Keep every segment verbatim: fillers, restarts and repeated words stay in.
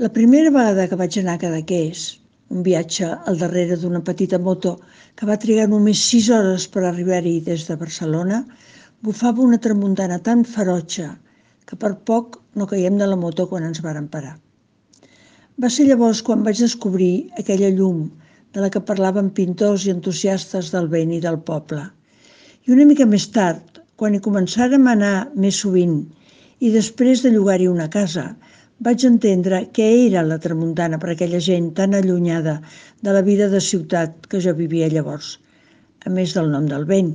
La primera vegada que vaig anar a Cadaqués, un viatge al darrere d'una petita moto que va trigar només sis hores per arribar-hi des de Barcelona, bufava una tramuntana tan ferotge que per poc no caiem de la moto quan ens vàrem parar. Va ser llavors quan vaig descobrir aquella llum de la que parlaven pintors i entusiastes del vent i del poble. I una mica més tard, quan hi començàrem a anar més sovint i després de llogar-hi una casa, vaig entendre què era la tramuntana per a aquella gent tan allunyada de la vida de ciutat que jo vivia llavors, a més del nom del vent,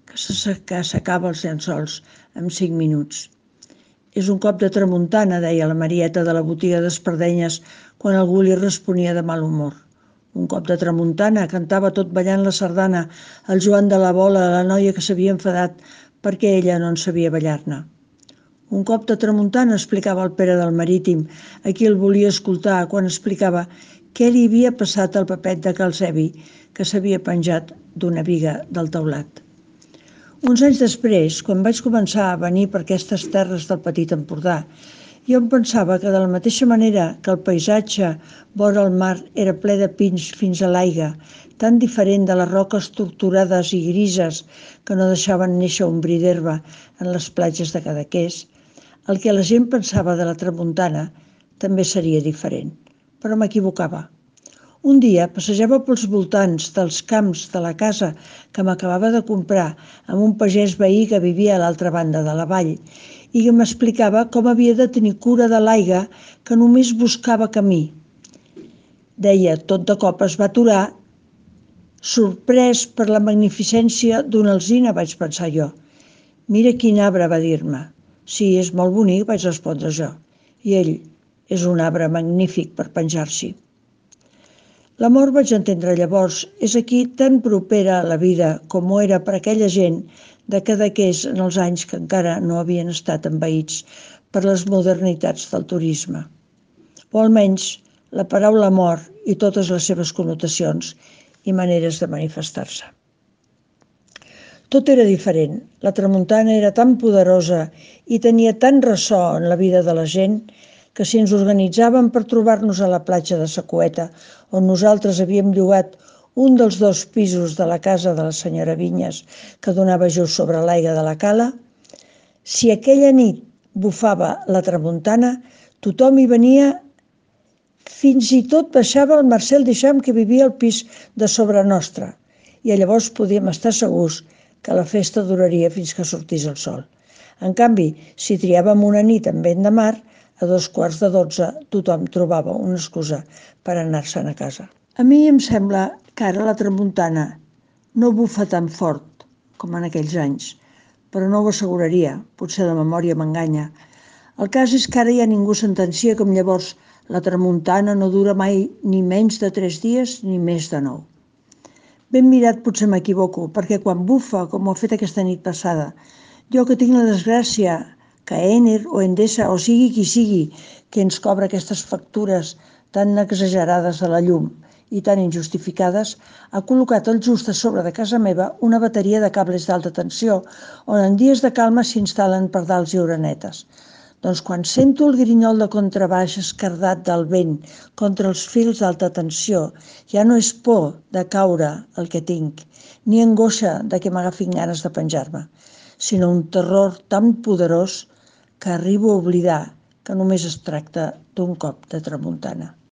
que s'acaba els llençols en cinc minuts. És un cop de tramuntana, deia la Marieta de la botiga d'espardenyes quan algú li responia de mal humor. Un cop de tramuntana, cantava tot ballant la sardana el Joan de la Bola, la noia que s'havia enfadat perquè ella no en sabia ballar-ne. Un cop de tramuntana, explicava el Pere del Marítim, a qui el volia escoltar quan explicava què li havia passat al papet de Calcebi, que s'havia penjat d'una biga del teulat. Uns anys després, quan vaig començar a venir per aquestes terres del Petit Empordà, jo em pensava que de la mateixa manera que el paisatge vora el mar era ple de pins fins a l'aigua, tan diferent de les roques torturades i grises que no deixaven néixer un bri d'herba en les platges de Cadaqués, el que la gent pensava de la tramuntana també seria diferent, però m'equivocava. Un dia passejava pels voltants dels camps de la casa que m'acabava de comprar amb un pagès veí que vivia a l'altra banda de la vall i que m'explicava com havia de tenir cura de l'aigua que només buscava camí. Deia, tot de cop es va aturar, sorprès per la magnificència d'una alzina, vaig pensar jo. Mira quin arbre, va dir-me. Sí, és molt bonic, vaig respondre jo. I ell, és un arbre magnífic per penjar-s'hi. La mort, vaig entendre llavors, és aquí tan propera a la vida com ho era per aquella gent de Cadaqués en els anys que encara no havien estat envaïts per les modernitats del turisme. O almenys la paraula mort i totes les seves connotacions i maneres de manifestar-se. Tot era diferent. La tramuntana era tan poderosa i tenia tant ressò en la vida de la gent que si ens organitzàvem per trobar-nos a la platja de Sacueta, on nosaltres havíem llogat un dels dos pisos de la casa de la senyora Vinyes que donava just sobre l'aigua de la cala, si aquella nit bufava la tramuntana, tothom hi venia, fins i tot baixava el Marcel Duchamp que vivia al pis de sobre nostre, i llavors podíem estar segurs que la festa duraria fins que sortís el sol. En canvi, si triàvem una nit amb vent de mar, a dos quarts de dotze tothom trobava una excusa per anar-se'n a casa. A mi em sembla que ara la tramuntana no bufa tan fort com en aquells anys, però no ho asseguraria, potser la memòria m'enganya. El cas és que ara ja ningú sentencia com llavors la tramuntana no dura mai ni menys de tres dies ni més de nou. Ben mirat potser m'equivoco, perquè quan bufa, com ho ha fet aquesta nit passada, jo que tinc la desgràcia que Enel o Endesa, o sigui qui sigui, que ens cobra aquestes factures tan exagerades de la llum i tan injustificades, ha col·locat al just a sobre de casa meva una bateria de cables d'alta tensió, on en dies de calma s'instal·len pardals i orenetes. Doncs quan sento el grinyol de contrabaix escardat del vent contra els fils d'alta tensió, ja no és por de caure el que tinc, ni angoixa de que m'agafin ganes de penjar-me, sinó un terror tan poderós que arribo a oblidar que només es tracta d'un cop de tramuntana.